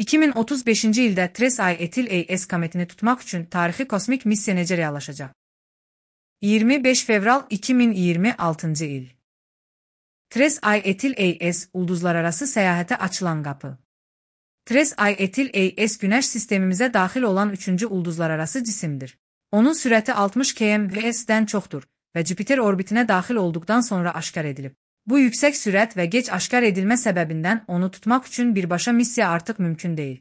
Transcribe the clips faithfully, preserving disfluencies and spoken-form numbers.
iki min otuz beşinci ildə TRES-I etil A S kometini tutmaq üçün tarixi kosmik missiya necə reallaşacaq? iyirmi beş fevral iki min iyirmi altıncı il. TRES-I etil A S ulduzlararası səyahətə açılan qapı. TRES-I etil A S Günəş sistemimizə daxil olan üçüncü ulduzlararası cisimdir. Onun sürəti altmış kilometr/s-dən çoxdur və Jüpiter orbitinə daxil olduqdan sonra aşkar edilib. Bu yüksək sürət və gec aşkar edilmə səbəbindən onu tutmaq üçün birbaşa missiya artıq mümkün deyil.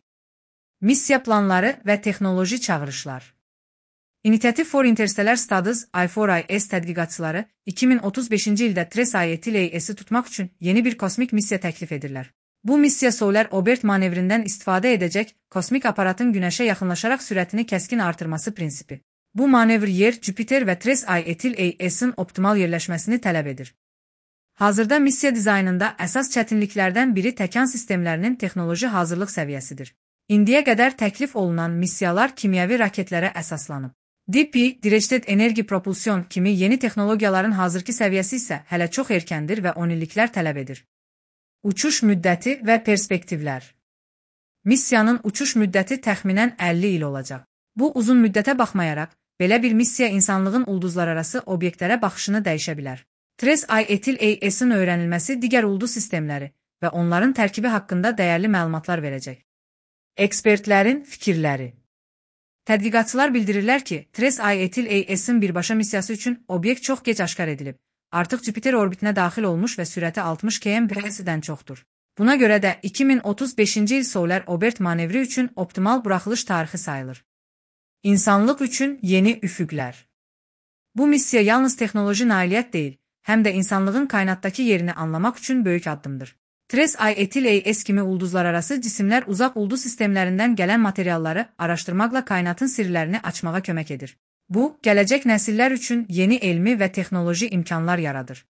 Missiya planları və texnoloji çağırışlar. Initiative for Interstellar Studies I four I S tədqiqatçıları iki min otuz beşinci ildə TRES-I etil A S'i tutmaq üçün yeni bir kosmik missiya təklif edirlər. Bu missiya Solar Orbit manevrindən istifadə edəcək kosmik aparatın Günəşə yaxınlaşaraq sürətini kəskin artırması prinsipi. Bu manevr Yer, Jüpiter və TRES-I etil A S'in optimal yerləşməsini tələb edir. Hazırda missiya dizaynında əsas çətinliklərdən biri təkan sistemlərinin texnoloji hazırlıq səviyyəsidir. İndiyə qədər təklif olunan missiyalar kimyəvi raketlərə əsaslanıb. D P, Directed Energy Propulsion kimi yeni texnologiyaların hazırki səviyyəsi isə hələ çox erkəndir və on illiklər tələb edir. Uçuş müddəti və perspektivlər. Missiyanın uçuş müddəti təxminən əlli il olacaq. Bu uzun müddətə baxmayaraq, belə bir missiya insanlığın ulduzlararası obyektlərə baxışını dəyişə bilər. TRES-I etil A S'in öyrənilməsi digər ulduz sistemləri və onların tərkibi haqqında dəyərli məlumatlar verəcək. Ekspertlərin fikirləri. Tədqiqatçılar bildirirlər ki, TRES-I etil A S'in birbaşa missiyası üçün obyekt çox gec aşkar edilib. Artıq Jüpiter orbitinə daxil olmuş və sürəti altmış kilometr/s-dən çoxdur. Buna görə də iki min otuz beşinci il Solar Orbit manevri üçün optimal buraxılış tarixi sayılır. İnsanlıq üçün yeni üfüqlər. Bu missiya yalnız texnoloji nailiyyət deyil, həm də insanlığın kainatdakı yerini anlamaq üçün böyük addımdır. TRES-I etil A S kimi ulduzlararası cisimlər uzaq ulduz sistemlərindən gələn materialları araşdırmaqla kainatın sirlərini açmağa kömək edir. Bu, gələcək nəsillər üçün yeni elmi və texnoloji imkanlar yaradır.